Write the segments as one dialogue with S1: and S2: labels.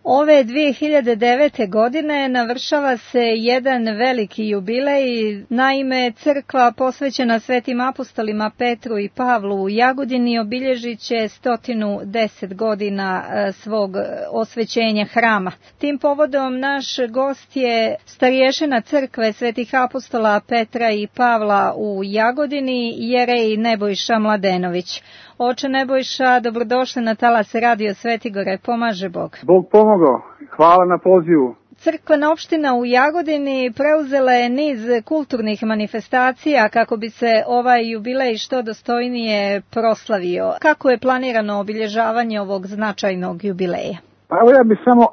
S1: Ove 2009. godine navršava se jedan veliki jubilej, naime crkva posvećena svetim apostolima Petru i Pavlu u Jagodini obilježit će 110 godina svog osvećenja hrama. Tim povodom naš gost je starješina crkve svetih apostola Petra i Pavla u Jagodini, jerej Nebojša Mladenović. Oče Nebojša, dobrodošli na talas Radio Svetigore, pomaže Bog.
S2: Bog pomogao, hvala na pozivu.
S1: Crkvena opština u Jagodini preuzela je niz kulturnih manifestacija kako bi se ovaj jubilej što dostojnije proslavio. Kako je planirano obilježavanje ovog značajnog jubileja?
S2: Pa evo ja bih samo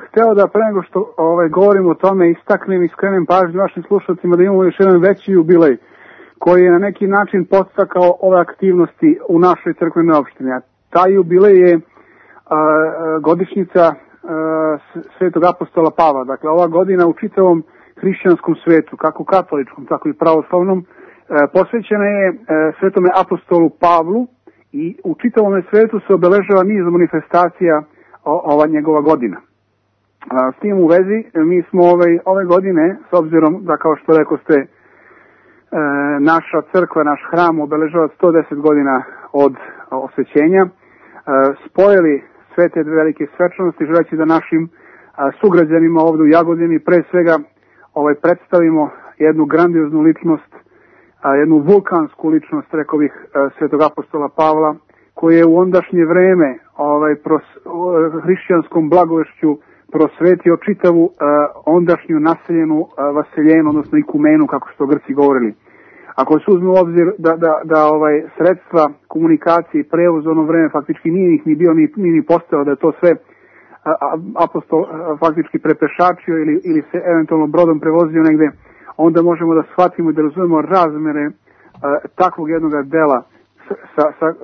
S2: hteo da pre nego što govorim o tome istaknem i skrenem pažnju vašim slušalcima da imamo još jedan veći jubilej koji je na neki način podstakao ove aktivnosti u našoj crkvenoj opštini. A taj jubilej je godišnjica svetog apostola Pavla. Dakle, ova godina u čitavom hrišćanskom svetu, kako katoličkom, tako i pravoslavnom, posvećena je svetome apostolu Pavlu i u čitavom svetu se obeležava niz manifestacija ova njegova godina. S tim u vezi, mi smo ove godine, s obzirom da, kao što rekao ste, naša crkva, naš hram obeležava 110 godina od osvećenja, spojili sve te velike svečanosti, želeći da našim sugrađanima ovdje u Jagodini pre svega predstavimo jednu grandioznu ličnost, jednu vulkansku ličnost, rekao bih, svetog apostola Pavla, koji je u ondašnje vreme hrišćanskom blagovešću prosvetio čitavu ondašnju naseljenu vaseljenu, odnosno ikumenu, kako što Grci govorili. Ako se uzme u obzir da sredstva komunikacije i prevoz ono vreme faktički nije ih ni bio ni postao, da je to sve apostol faktički prepešačio ili se eventualno brodom prevozio negde, onda možemo da shvatimo i da razumemo razmere takvog jednog dela sa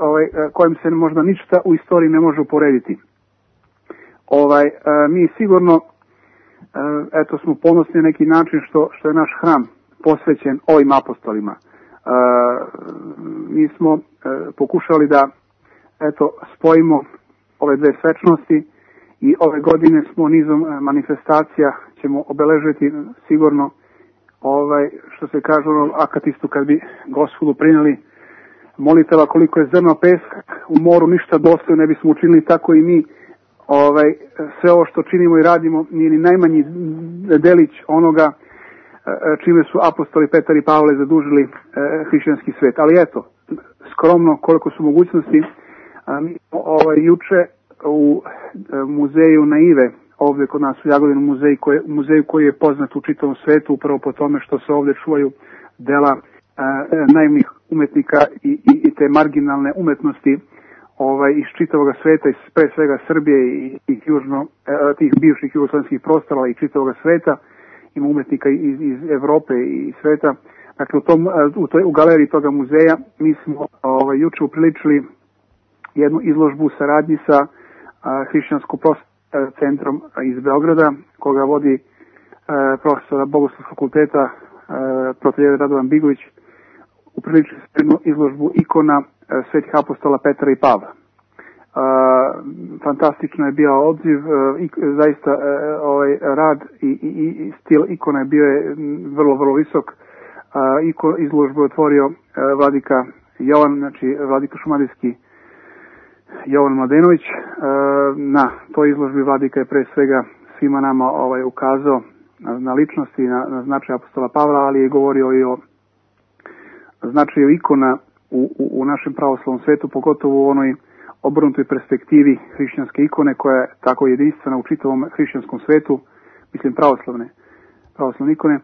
S2: kojim se možda ništa u istoriji ne može uporediti. Mi sigurno smo ponosni na neki način što je naš hram posvećen ovim apostolima. Mi smo pokušali da spojimo ove dve svečnosti i ove godine smo nizom manifestacija ćemo obeležiti sigurno što se kaže akatistu kad bi Gospodu prineli molitava koliko je zrno peska u moru ništa dosta ne bismo učinili, tako i mi sve ovo što činimo i radimo nije ni najmanji delić onoga čime su apostoli Petar i Pavle zadužili hrišćanski svet. Ali eto, skromno koliko su mogućnosti, mi juče u muzeju Naive, ovdje kod nas u Jagodinu, muzeju koji je poznat u čitavom svetu upravo po tome što se ovdje čuvaju dela naivnih umetnika i te marginalne umetnosti iz čitavog sveta, pre svega Srbije i tih bivših jugoslovenskih prostora i čitavog sveta. Ima umetnika iz Evrope i sveta. Dakle, u galeriji toga muzeja mi smo juče upriličili jednu izložbu u saradnji sa hrišćansko-prosvetnim centrom iz Beograda, koga vodi profesora Bogoslovskog fakulteta prof. Radovan Bigović. Upriličili smo jednu izložbu ikona svetih apostola Petra i Pavla. Fantastično je bio odziv, zaista rad i stil ikona je bio vrlo, vrlo visok. Izložbu je otvorio vladika Jovan, znači vladika šumadijski Jovan Mladenović. Na toj izložbi vladika je pre svega svima nama ukazao na ličnosti i na značaj apostola Pavla, ali je govorio i o značaju ikona u našem pravoslavnom svetu, pogotovo u onoj obrnutoj perspektivi hrišćanske ikone koja je tako jedinstvena u čitavom hrišćanskom svetu, mislim pravoslavne ikone,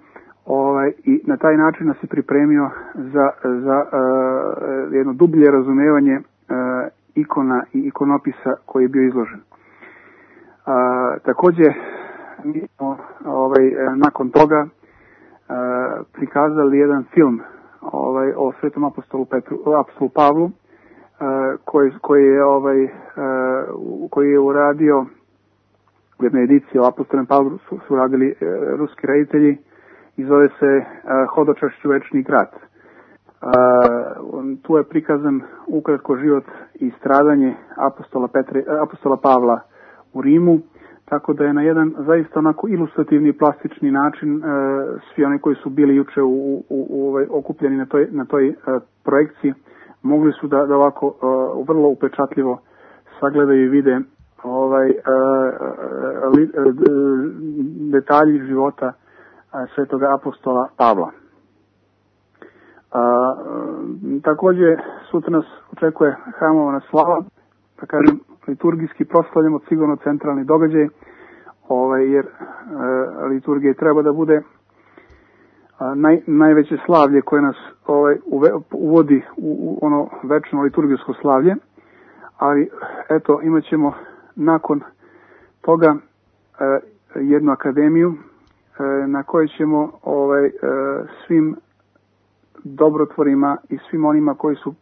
S2: i na taj način nas je pripremio za jedno dublje razumevanje ikona i ikonopisa koji je bio izložen. Također mi smo nakon toga prikazali jedan film o svetom apostolu Pavlu, koji je uradio u jednoj ediciji o apostolom Pavlu su radili ruski reditelji i zove se Hodočašću večni grad. Tu je prikazan ukratko život i stradanje apostola Pavla u Rimu. tako da je na jedan zaista onako ilustrativni plastični način svi oni koji su bili juče okupljeni na toj projekciji mogli su da ovako vrlo upečatljivo sagledaju i vide detalji života svetoga apostola Pavla. Također sutra nas očekuje hramovna slava, da kažem liturgijski proslavljamo sigurno centralni događaj, jer liturgija treba da bude najveće slavlje koje nas uvodi u ono večno liturgijsko slavlje, ali eto imat ćemo nakon toga jednu akademiju na kojoj ćemo svim dobrotvorima i svim onima koji su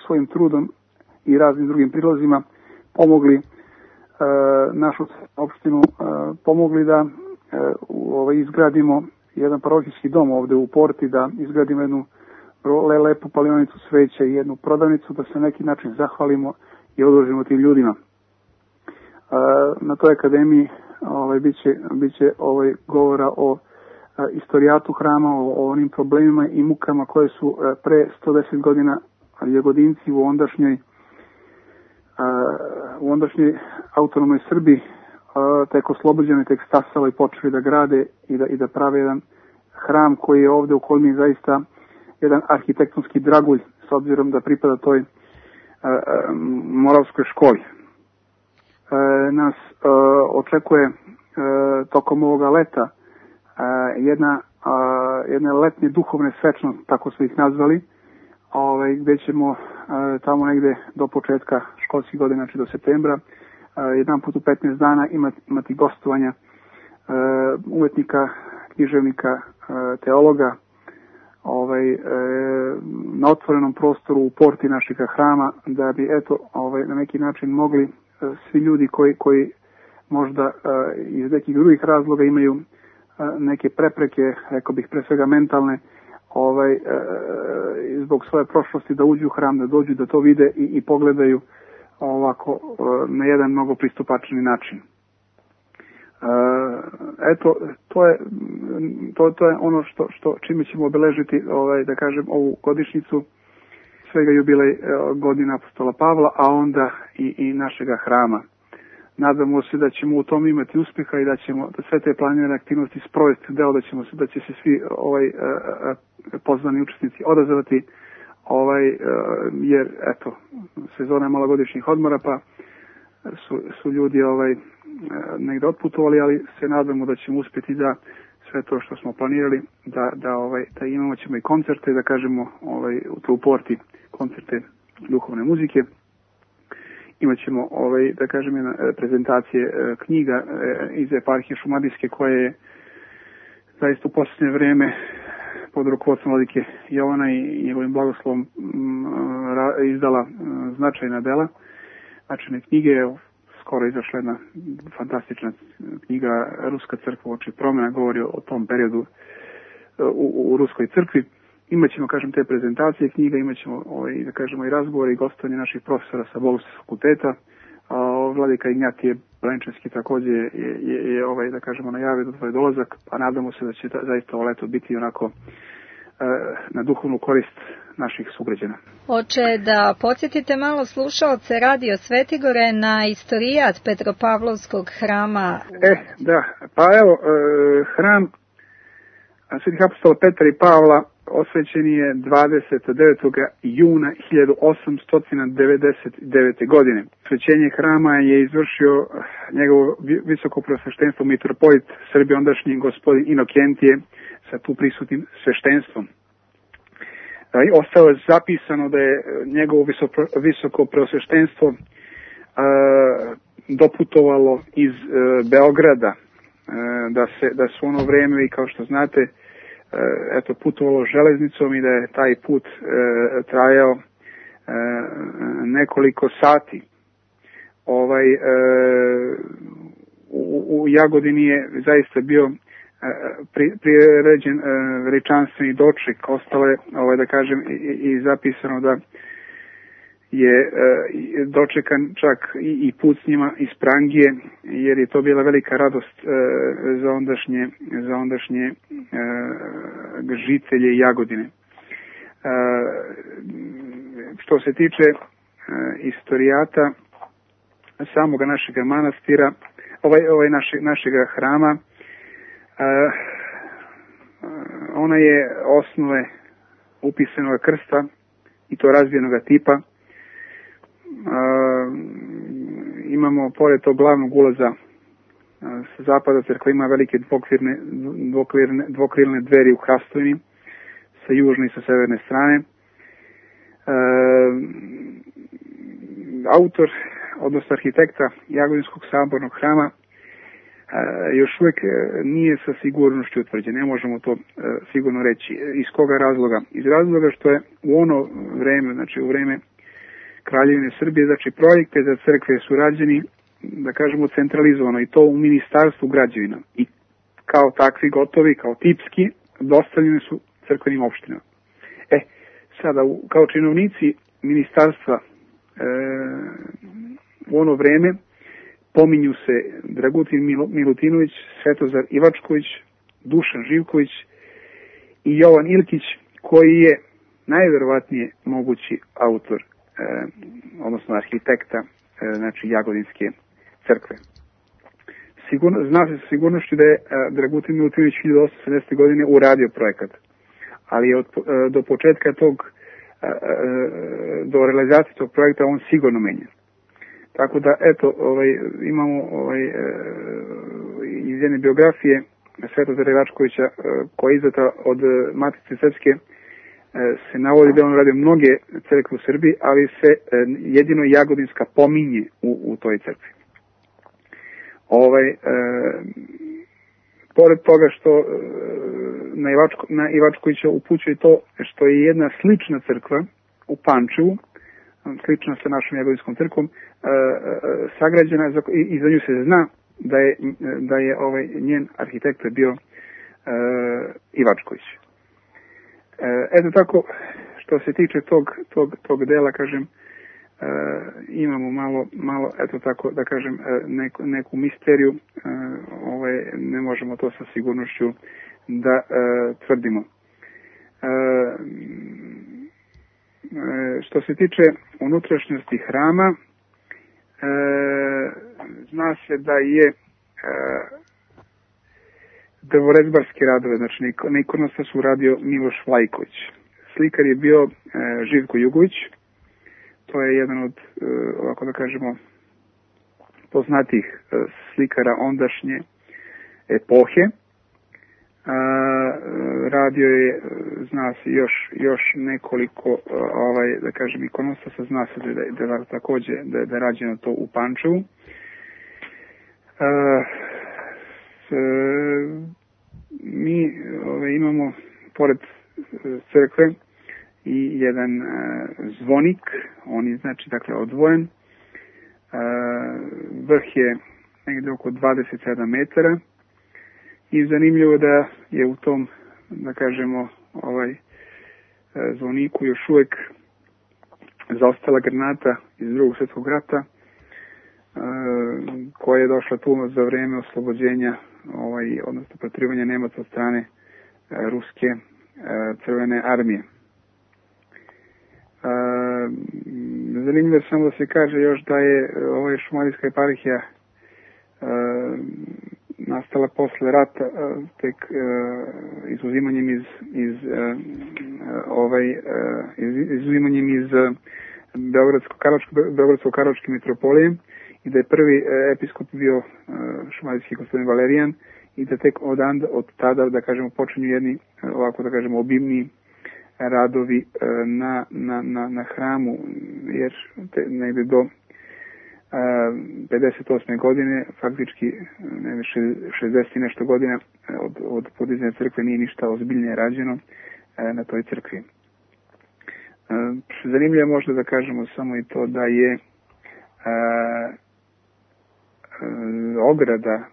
S2: svojim trudom i raznim drugim prilozima pomogli našu opštinu, pomogli da izgradimo jedan parohijski dom ovde u Porti, da izgradimo jednu lepu palionicu sveća i jednu prodavnicu, da se na neki način zahvalimo i odužimo tim ljudima. Na toj akademiji biće govora o istorijatu hrama, o onim problemima i mukama koje su pre 110 godina Jagodinci u ondašnjoj autonomnoj Srbiji tek oslobođeni, tek stasali i počeli da grade i da prave jedan hram koji je ovde u Kolmiji zaista jedan arhitektonski dragulj s obzirom da pripada toj moravskoj školi. Nas očekuje tokom ovoga leta jedne letnje duhovne svečnosti, tako smo ih nazvali, gdje ćemo tamo negde do početka školskih godina, znači do septembra, jedan put u 15 dana imati gostovanja umetnika, književnika, teologa, na otvorenom prostoru u porti našega hrama, da bi na neki način mogli svi ljudi koji možda iz nekih drugih razloga imaju neke prepreke, rekao bih pre svega mentalne, zbog svoje prošlosti, da uđu u hram, da dođu, da to vide i pogledaju ovako na jedan mnogo pristupačni način. To je ono čime ćemo obeležiti, da kažem, ovu godišnjicu svega jubilej godina apostola Pavla, a onda i našega hrama. Nadamo se da ćemo u tom imati uspjeha i da ćemo sve te planirane aktivnosti sprovesti deo, da će se svi pozvani učesnici odazvati, jer sezona je malogodišnjih odmora, pa su ljudi negdje otputovali, ali se nadamo da ćemo uspjeti da sve to što smo planirali, da imamo ćemo i koncerte, da kažemo u Porti koncerte duhovne muzike. Imaćemo da kažem prezentacije knjiga iz eparhije Šumadijske, koje je zaista u posljednje vrijeme pod rukovodstvom vladike Jovana i njegovim blagoslovom izdala značajna dela, značajne knjige. Skoro je izašla jedna fantastična knjiga Ruska crkva uoči promjena, govori o tom periodu u Ruskoj crkvi. Imaćemo, kažem, te prezentacije knjiga, imaćemo da kažemo i razgovore i gostovanje naših profesora sa Bogoslovskog fakulteta. Vladika Ignjatije Blančevski također je da kažemo najavio da tvoj dolazak, a nadamo se da će zaista ovo leto biti onako na duhovnu korist naših sugrađana.
S1: Oče, da podsjetite malo slušaoce Radio Svetigore na istorijat Petropavlovskog hrama.
S2: Da, pa evo, hram svetih apostola Petra i Pavla osvećen je 29. juna 1899. godine. Osvećenje hrama je izvršio njegovo visoko preosveštenstvo mitropolit Srbije ondašnji gospodin Inokentije sa tu prisutnim sveštenstvom. Ostalo je zapisano da je njegovo visoko preosveštenstvo doputovalo iz Beograda, da su ono vreme, i kao što znate, putovalo železnicom i da je taj put trajao nekoliko sati. U Jagodini je zaista bio priređen veličanstveni doček. Ostalo je, da kažem, i zapisano da je dočekan čak i put s njima iz Prangije, jer je to bila velika radost za ondašnje žitelje Jagodine. Što se tiče istorijata samoga našega manastira, našega hrama, ona je osnove upisanog krsta i to razvijenog tipa. Imamo pored tog glavnog ulaza sa zapada crkva ima velike dvokrilne dveri u hrastovini sa južne i sa severne strane. Autor, odnosno arhitekta Jagodinskog sabornog hrama još uvijek nije sa sigurnošću utvrđen. Ne možemo to sigurno reći. Iz koga razloga? Iz razloga što je u ono vreme, znači u vreme Kraljevine Srbije, znači projekte za crkve su rađeni, da kažemo, centralizovano i to u Ministarstvu građevina. I kao takvi gotovi, kao tipski, dostavljeni su crkvenim opštinama. Sada, kao činovnici ministarstva u ono vreme pominju se Dragutin Milutinović, Svetozar Ivačković, Dušan Živković i Jovan Ilkić, koji je najverovatnije mogući autor, odnosno arhitekta, znači Jagodinske crkve. Zna se sa sigurnošću da je Dragutin Milutinović 1870. godine uradio projekat, ali je do početka do realizacije tog projekta on sigurno menja. Tako da, eto, imamo iz jedne biografije Svetozara Ivačkovića, koja je izdata od Matice Srpske, se navodi da on radio mnoge crkve u Srbiji, ali se jedino Jagodinska pominje u toj crkvi. Pored toga što na Ivačkovića upućuje to što je jedna slična crkva u Pančevu, slična sa našom Jagodinskom crkvom, sagrađena i za nju se zna da je njen arhitekta bio Ivačković. Eto tako, što se tiče tog dela, kažem, imamo malo, eto tako da kažem, neku misteriju, ne možemo to sa sigurnošću da tvrdimo. Što se tiče unutrašnjosti hrama, zna se da je drvorezbarske radove, znači na ikonostasu radio Miloš Vlajković. Slikar je bio Živko Jugović, to je jedan od, ovako da kažemo, poznatih slikara ondašnje epohe. Radio je, zna se, još nekoliko, da kažem, ikonostasa, zna se da takođe da je rađeno to u Pančevu. Mi imamo pored crkve i jedan zvonik, on je znači dakle odvojen. Vrh je negde oko 27 metara i zanimljivo da je u tom, da kažemo, zvoniku još uvek zaostala granata iz Drugog svjetskog rata, koja je došla tu za vreme oslobođenja, odnosno protirivanja Nemaca od strane ruske crvene armije. Zanimljivo je samo da se kaže još da je Šumadijska eparhija nastala posle rata, tek izuzimanjem iz Beogradsko-Karlovačke mitropolije, i da je prvi episkop bio šumadijski gospodin Valerijan, i da tek od tada, da kažemo, počinju jedni, ovako da kažemo, obimni radovi na hramu, jer negde do 58. godine, faktički 60 i nešto godina od podizanja crkve nije ništa ozbiljnije rađeno na toj crkvi. Zanimljivo je možda da kažemo samo i to da je ograda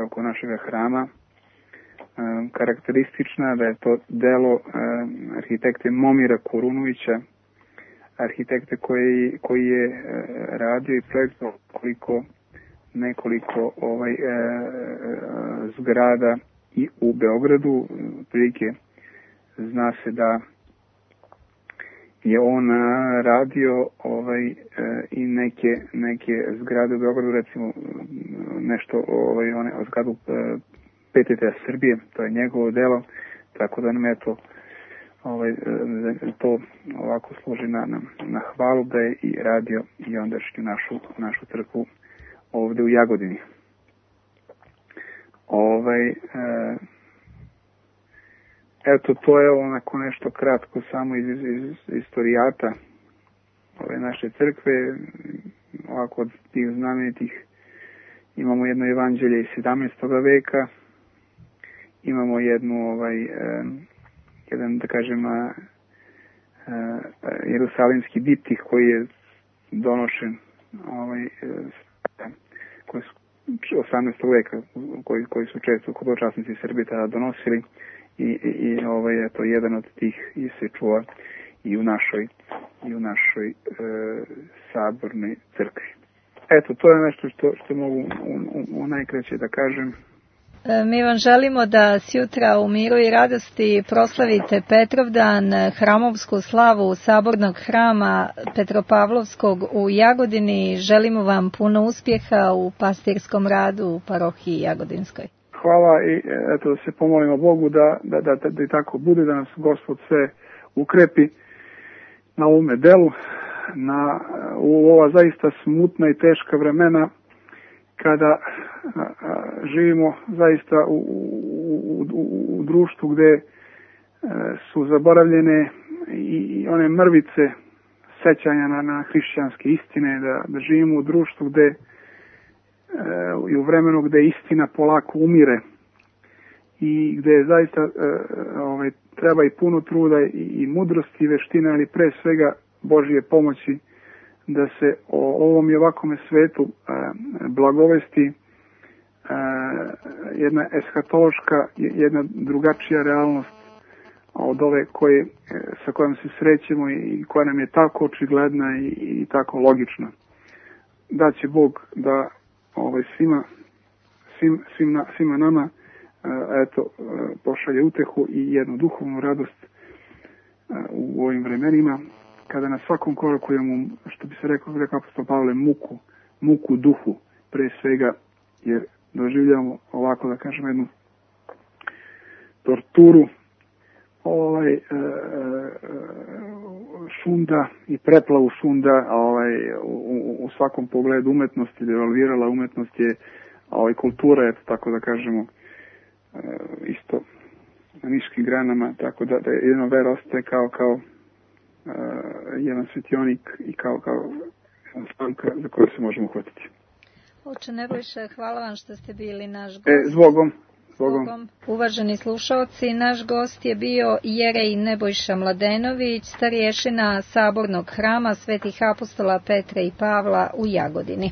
S2: oko našeg hrama karakteristična, da je to delo arhitekte Momira Kurunovića, arhitekte koji je radio i projektovao nekoliko zgrada i u Beogradu. Prilike zna se da je on radio i neke zgrade u Beogradu, recimo nešto o zgradu PTT Srbije, to je njegovo delo, tako da nam je to ovako služi na hvalu da je i radio i ondašnju našu crkvu ovde u Jagodini. Eto, to je onako nešto kratko samo iz istorijata ove naše crkve. Ovako od tih znamenitih imamo jedno evanđelje iz 17. veka, imamo jedan, da kažem, jerusalimski diptih koji je donošen koji su 18. veka, koji su često hodočasnici Srbije tada donosili i eto, jedan od tih se čuva i u našoj sabornoj crkvi. Eto, to je nešto što mogu u najkraće da kažem.
S1: Mi vam želimo da sjutra u miru i radosti proslavite Petrovdan, hramovsku slavu Sabornog hrama Petropavlovskog u Jagodini. Želimo vam puno uspjeha u pastirskom radu u parohiji Jagodinskoj.
S2: Hvala i eto, da se pomolimo Bogu da i tako bude, da nas Gospod sve ukrepi na ovome delu, u ova zaista smutna i teška vremena, kada živimo zaista u društvu gde su zaboravljene i one mrvice sećanja na hrišćanske istine, da živimo u društvu gde i u vremenu gde istina polako umire i gde zaista treba i puno truda i mudrosti i veštine, ali pre svega Božje pomoći da se o ovom i ovakome svetu blagovesti jedna eskatološka, jedna drugačija realnost od ove sa kojom se srećemo i koja nam je tako očigledna i tako logična. Da će Bog da svima nama pošalje utehu i jednu duhovnu radost u ovim vremenima, kada na svakom koraku imamo, što bi se rekao apostol Pavle, muku duhu, pre svega, jer doživljamo ovako, da kažem, jednu torturu šunda i preplavu šunda u svakom pogledu umetnosti, devalvirala umetnost je, kultura, eto tako da kažemo, isto na niškim granama, tako da jedna vera ostaje kao jedan svetionik i kao jedna slamka za koju se možemo uhvatiti.
S1: Oče Nebojša, hvala vam što ste bili naš gost.
S2: Zbogom.
S1: Uvaženi slušalci, naš gost je bio jerej Nebojša Mladenović, starješina Sabornog hrama Svetih apostola Petra i Pavla u Jagodini.